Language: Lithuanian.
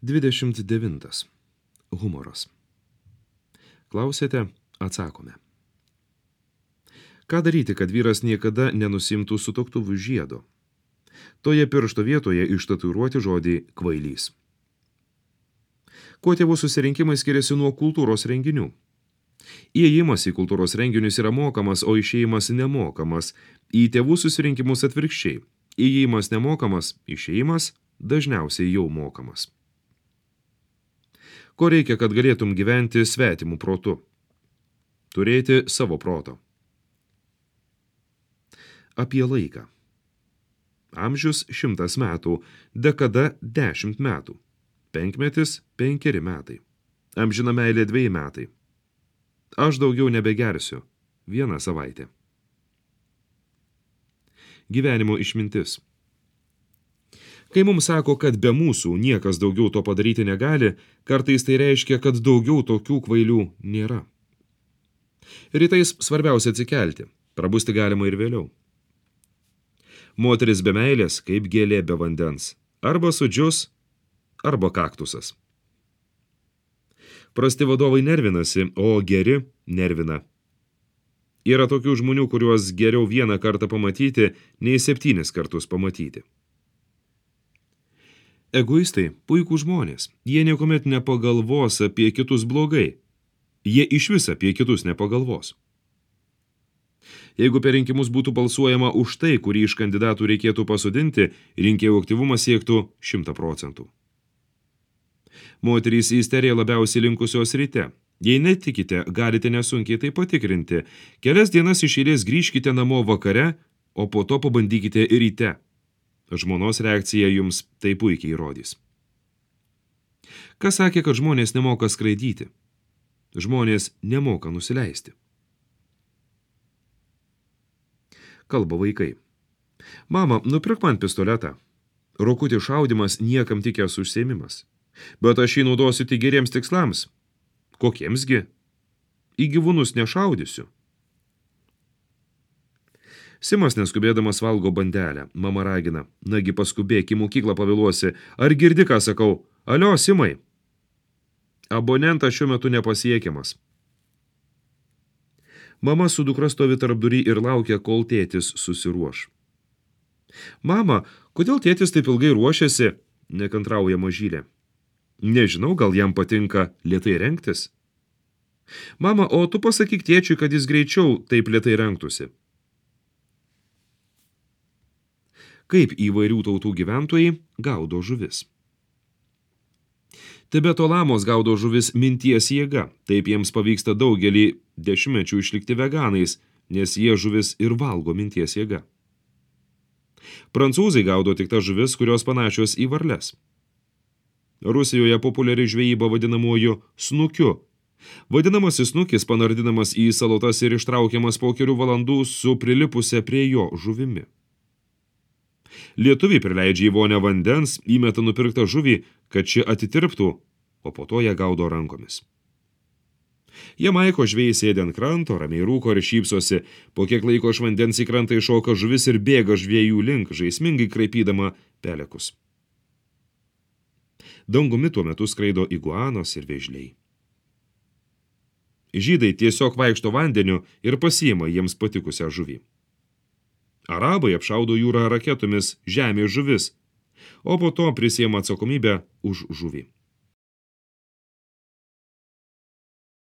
29. Humoras. Klausėte, atsakome. Ką daryti, kad vyras niekada nenusimtų sutuoktuvių žiedo? Toje piršto vietoje ištatuiruoti žodį kvailys. Kuo tėvų susirinkimai skiriasi nuo kultūros renginių? Įėjimas į kultūros renginius yra mokamas, o išėjimas nemokamas. Į tėvų susirinkimus atvirkščiai. Įėjimas nemokamas, išėjimas dažniausiai jau mokamas. Ko reikia, kad galėtum gyventi svetimų protu? Turėti savo proto. Apie laiką. Amžius 100 metų, dekada 10 metų, penkmetis 5 metai, amžina meilė 2 metai. Aš daugiau nebegersiu 1 savaitė. Gyvenimo išmintis. Kai mums sako, kad be mūsų niekas daugiau to padaryti negali, kartais tai reiškia, kad daugiau tokių kvailių nėra. Rytais svarbiausia atsikelti, prabusti galima ir vėliau. Moteris be meilės, kaip gėlė be vandens, arba sudžius, arba kaktusas. Prasti vadovai nervinasi, o geri nervina. Yra tokių žmonių, kuriuos geriau 1 kartą pamatyti, nei 7 kartus pamatyti. Egoistai puikūs žmonės, jie niekuomet nepagalvos apie kitus blogai. Jie išvis apie kitus nepagalvos. Jeigu per rinkimus būtų balsuojama už tai, kurį iš kandidatų reikėtų pasodinti, rinkėjų aktyvumas siektų 100%. Moterys į isteriją labiausiai linkusios ryte. Jei netikite, galite nesunkiai tai patikrinti. Kelias dienas iš eilės grįžkite namo vakare, o po to pabandykite ryte. Žmonos reakcija jums tai puikiai įrodys. Kas sakė, kad žmonės nemoka skraidyti? Žmonės nemoka nusileisti. Kalba vaikai. Mama, nupirk man pistoletą. Rokutį šaudimas niekam tikęs užsiėmimas. Bet aš jį naudosiu tik geriems tikslams. Kokiemsgi? Į gyvūnus nešaudysiu. Simas neskubėdamas valgo bandelę. Mama ragina. Nagi paskubėk, į mokyklą pavėluosi. Ar girdi, ką sakau? Alio, Simai. Abonentas šiuo metu nepasiekiamas. Mama su dukra stovi tarpdury ir laukia, kol tėtis susiruoš. Mama, kodėl tėtis taip ilgai ruošiasi? Nekantrauja mažylė. Nežinau, gal jam patinka lėtai rengtis. Mama, o tu pasakyk tėčiui, kad jis greičiau taip lėtai rengtųsi. Kaip įvairių tautų gyventojai gaudo žuvis. Tibeto lamos gaudo žuvis minties jėga, taip jiems pavyksta daugelį dešimtmečių išlikti veganais, nes jie žuvis ir valgo minties jėga. Prancūzai gaudo tik tas žuvis, kurios panašios į varles. Rusijoje populiari žvejyba vadinamuoju snukiu. Vadinamasis snukis panardinamas į salotas ir ištraukiamas po kelių valandų su prilipusia prie jo žuvimi. Lietuviai prileidžia į vonę vandens, įmeta nupirktą žuvį, kad ši atitirptų, o po to ją gaudo rankomis. Jamaiko žvejai sėdi ant kranto, ramiai rūko ir šypsosi, po kiek laiko iš vandens į krantą iššoka žuvis ir bėga žvejų link, žaismingai kraipydama pelekus. Dangumi tuo metu skraido iguanos ir vėžliai. Žydai tiesiog vaikšto vandeniu ir pasiima jiems patikusią žuvį. Arabai apšaudo jūrą raketomis žemės žuvis, o po to prisiima atsakomybę už žuvį.